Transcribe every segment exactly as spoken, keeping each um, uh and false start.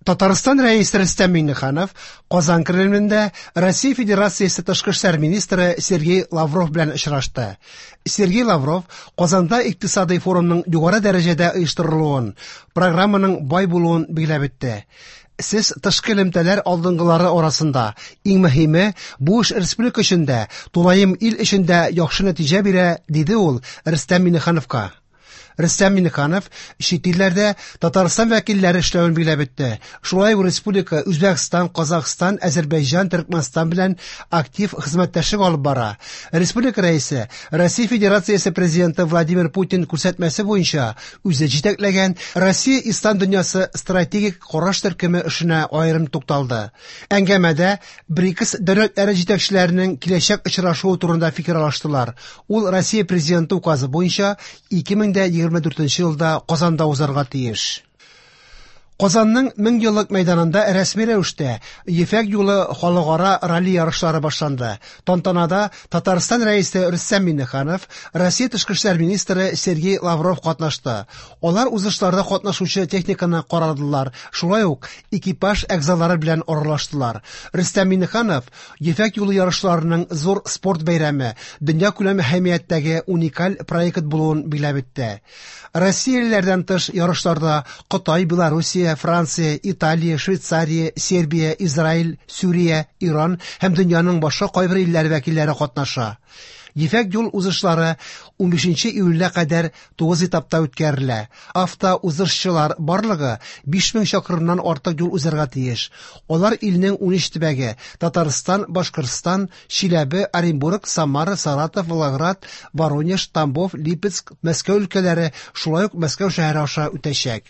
Татарстан Рәисе Рөстәм Миңнеханов Казан Кремлендә Россия Федерациясе тышкы эшләр министры Сергей Лавров белән очрашты. Сергей Лавров Казанда икътисадый форумның югары дәрәҗәдә оештырылуын, программаның бай булуын билгеләп үтте. Сез тышкы элемтәләр алдынгылары арасында. Иң мөһиме, бу эш республика өчен дә, тулаем ил өчен дә яхшы нәтиҗә бирә, диде ул Рөстәм Миңнехановка. Рөстәм Миңнеханов чит илләрдә Татарстан вәкилләре эшләвен билгеләп үтте. Шулай ук республика Үзбәкстан, Казахстан, Азәрбайҗан, Төркмәнстан белән актив хезмәттәшлек алып бара. Республика рәисе Россия Федерациясе президенты Владимир Путин күрсәтмәсе буенча үзе җитәкләгән Россия Ислам дөньясы стратегик караш төркеме эшенә аерым тукталды. Әңгәмәдә БРИКС дәүләтләре җитәкчеләренең киләчәк очрашуы турында фикер алыштылар. Ул Россия президенты указы буенча ике мең дә егерме дүртенче елда Казанда узарга тиеш. Казанның мең еллык мәйданында рәсми рәвештә Ефәк юлы халыкара ралли ярышлары башланды. Тантанада Татарстан Рәисе Рөстәм Миңнеханов, Россия тышкы эшләр министры Сергей Лавров катнашты. Алар узышларда катнашучы техниканы карадылар, шулай ук экипаж әгъзалары белән аралаштылар. Рөстәм Миңнеханов Ефәк юлы ярышларының зур спорт бәйрәме, дөнья күләм әһәмияттәге уникаль проект булуын билгеләп үтте. Россиялеләрдән тыш ярышларда Кытай, Белоруссия, Франция, Италия, Швейцария, Сербия, Израиль, Сүрия, Иран һәм дөньяның башка кайбер илләре вәкилләре катнаша. Ефәк юл узышлары унбишенче июльгә кадәр тугыз этапта үткәрелә. Автоузышчылар барлыгы биш мең чакрымнан артык юл узарга тиеш. Алар илнең унөч төбәге: Татарстан, Башкортстан, Чиләбе, Оренбург, Самара, Саратов, Волгоград, Воронеж, Тамбов, Липецк, Мәскәү өлкәләре, шулай ук Мәскәү шәһәре аша үтәчәк.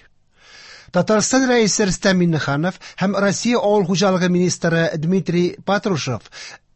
Татарстан Рәисе Рөстәм Миңнеханов һәм Россия Авыл хуҗалыгы министры Дмитрий Патрушев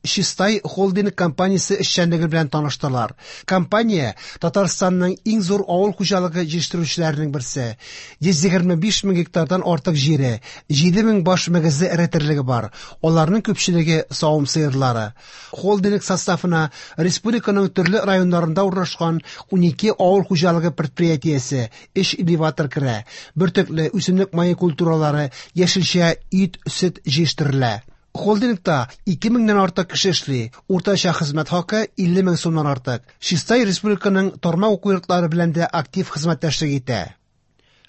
Чистай холдинг компаниясе эшчәнлеге белән таныштылар. Компания Татарстанның иң зур авыл хуҗалыгы җитештерүчеләренең берсе. Йөз егерме биш мең гектардан артык җире, җиде мең баш мөгезле эре терлеге бар. Аларның күпчелеге савым сыерлары. Холдинг составына республиканың төрле районнарында урнашкан унике авыл хуҗалыгы предприятиесе, өч элеватор керә. Бөртекле үсемлек мае культуралары, яшелчә, ит, сөт җитештерелә. Холдингта ике меңнән артык кеше эшли. Уртача хезмәт хакы илле мең сумнан артык. Чистай республиканың тармак уку йортлары белән дә актив хезмәттәшлек итә.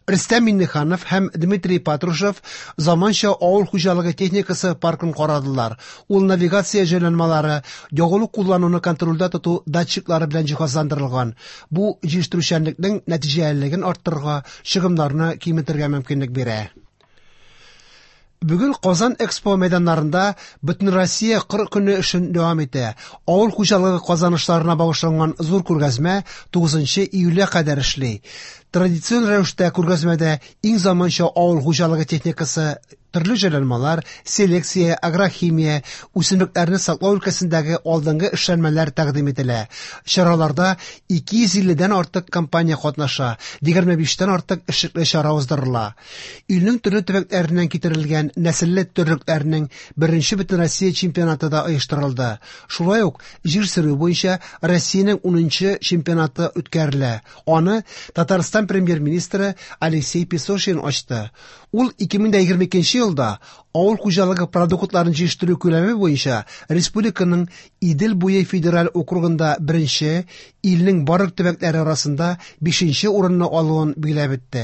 Рөстәм Миңнеханов һәм Дмитрий Патрушев заманча авыл хуҗалыгы техникасы паркын карадылар. Ул навигация җайланмалары, ягулык куллануны контрольдә тоту датчиклары белән җиһазландырылган. Бу җитештерүчәнлекнең нәтиҗәлелеген арттырырга, чыгымнарны киметергә мөмкинлек бирә. Бүген Казан Экспо мәйданнарында Бөтенроссия кыр көне эшен дәвам итә. Авыл хуҗалыгы казанышларына багышланган зур күргәзмә тугызынчы июльгә кадәр эшли. Традицион рәвештә күргәзмәдә иң заманча авыл хуҗалыгы техникасы, төрле җайланмалар, селекция, агрохимия, үсемлекләрне саклау өлкәсендәге алдынгы эшләнмәләр тәкъдим ителә. Чараларда ике йөз илледән артык компания катнаша, егерме биштән артык эшлекле чара уздырыла. Илнең төрле төбәкләреннән китерелгән нәселле терлекләрнең беренче Бөтенроссия чемпионаты да оештырылды. Шулай ук җир сөрү буенча Россиянең унынчы чемпионаты үткәрелә. Аны Татарстан премьер-министры Алексей Песошин ачты. Ул ике мең дә егерме икенче елда авыл хуҗалыгы продуктларын җитештерү күләме буенча республиканың Идел буе федераль округында беренче, илнең барлык төбәкләре арасында бишенче урынны алуын билгеләп үтте.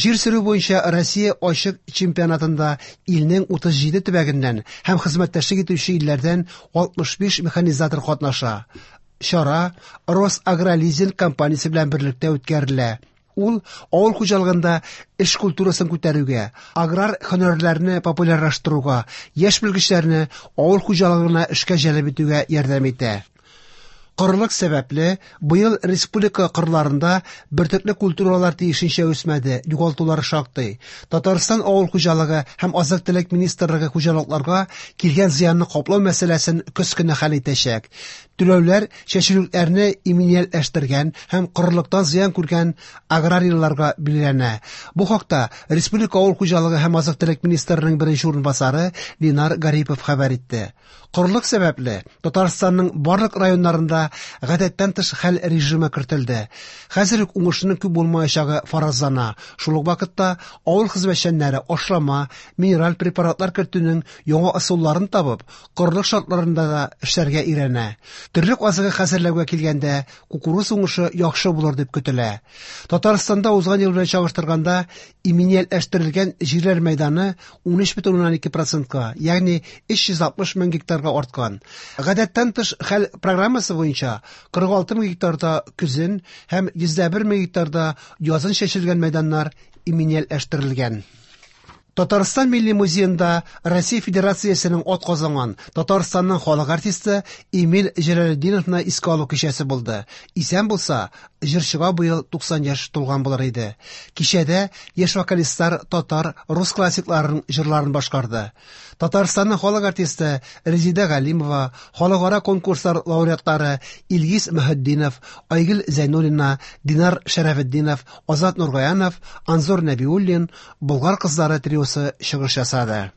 Җир сөрү буенча Россия ачык чемпионатында илнең утыз җиде төбәгеннән һәм хезмәттәшлек итүче илләрдән алтмыш биш механизатор катнаша. Чара Росагролизинг компаниясе белән берлектә үткәрелә. Ул авыл хуҗалыгында эш культурасын күтәрүгә, аграр һөнәрләрне популярлаштыруга, яшь белгечләрне авыл хуҗалыгына эшкә җәлеп итүгә ярдәм итә. Корылык сәбәпле, быел республика кырларында бөртекле культуралар тиешенчә үсмәде, югалтулар шактый. Татарстан авыл хуҗалыгы һәм азык-төлек министрлыгы хуҗалыкларга килгән зыянны каплау мәсьәләсен көз көне хәл итәчәк. Түләүләр чәчүлекләрне иминиятләштергән һәм корылыктан зыян күргән аграрийларга билгеләнә. Бу хакта Республика авыл хуҗалыгы һәм азык-төлек министрының беренче урынбасары Ленар Гарипов хәбәр итте. Корылык сәбәпле Татарстанның барлык районнарында гадәттән тыш хәл режимы кертелде. Хәзер үк уңышның күп булмаячагы фаразлана. Шул ук вакытта авыл хезмәтчәннәре ашлама, минераль препаратлар кертүнең яңа ысулларын табып, корылык шартларында да эшләргә өйрәнә. Терлек азыгы хәзерләүгә килгәндә, кукуруз уңышы яхшы булыр дип көтелә. Татарстанда узган ел белән чагыштырганда иминиятләштерелгән җирләр мәйданы ун өч бөтен уннан ике процентка, ягъни өч йөз алтмыш мең гектарга арткан. Гадәттән тыш хәл программасы буенча кырык алты мең гектарда көзен һәм йөз дә бер мең гектарда язын чәчелгән мәйданнар иминиятләштерелгән. Татарстан Милли музеенда Россия Федерациясенең ат казанган Татарстанның халык артисты Эмиль Җәләлетдиновны искә алу кичәсе булды. Исән булса, җырчыга быел туксан яшь тулган булыр иде. Кичәдә яшь вокалистлар татар, рус классикларының җырларын башкарды. Татарстанның халык артисты Резида Галимова, халыкара конкурслар лауреатлары Илгиз Мөхетдинов, Айгөл Зәйнуллина, Динар Шәрәфетдинов, Азат Нургаянов, Анзор Нәбиуллин, Болгар кызлары триосы чыгыш ясады.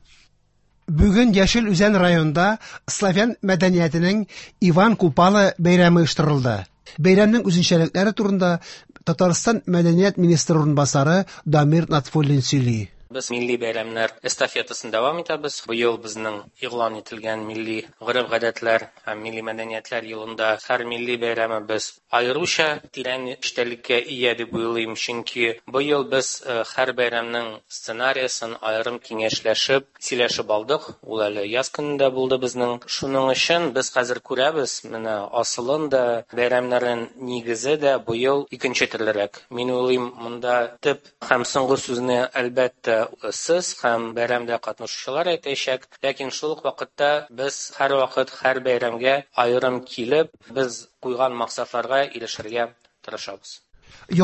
Бүген Яшел Үзән районында славян мәдәниятенең Иван Купала бәйрәме оештырылды. Бәйрәмнең үзенчәлекләре турында Татарстан мәдәният министры урынбасары Дамир Натфуллин сөйли. Без милли бәйрәмнәр эстафетасын дәвам итәбез. Быел безнең игълан ителгән милли гореф-гадәтләр һәм милли мәдәниятләр елында һәр милли бәйрәмебез аеруча тирән эчтәлеккә ия дип уйлыйм, чөнки быел без, э, һәр бәйрәмнең сценариясын аерым киңәшләшеп, сөйләшеп алдык. Ул әле яз көнендә булды безнең. Шуның өчен без хәзер күрәбез, менә асылын да, бәйрәмнәрнең нигезе дә быел икенче төрлерәк. Мин уйлыйм, монда төп һәм соңгы сүзне әлбәттә сез һәм бәйрәмдә катнашучылар әйтәчәк, ләкин шул ук вакытта без һәр вакыт һәр бәйрәмгә аерым килеп, без куйган максатларга ирешергә тырышабыз.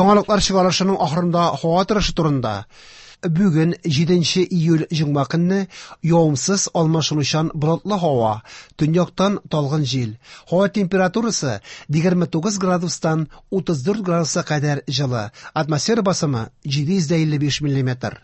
Яңалыклар чыгарылышының ахырында һава торышы турында. Бүген җиденче июль җомга көнне явымсыз алмашынучан болытлы һава, төньяктан талгын җил. Һава температурасы егерме тугыз градустан утыз дүрт градуска кадәр җылы. Атмосфера басымы җиде йөз илле биш миллиметр.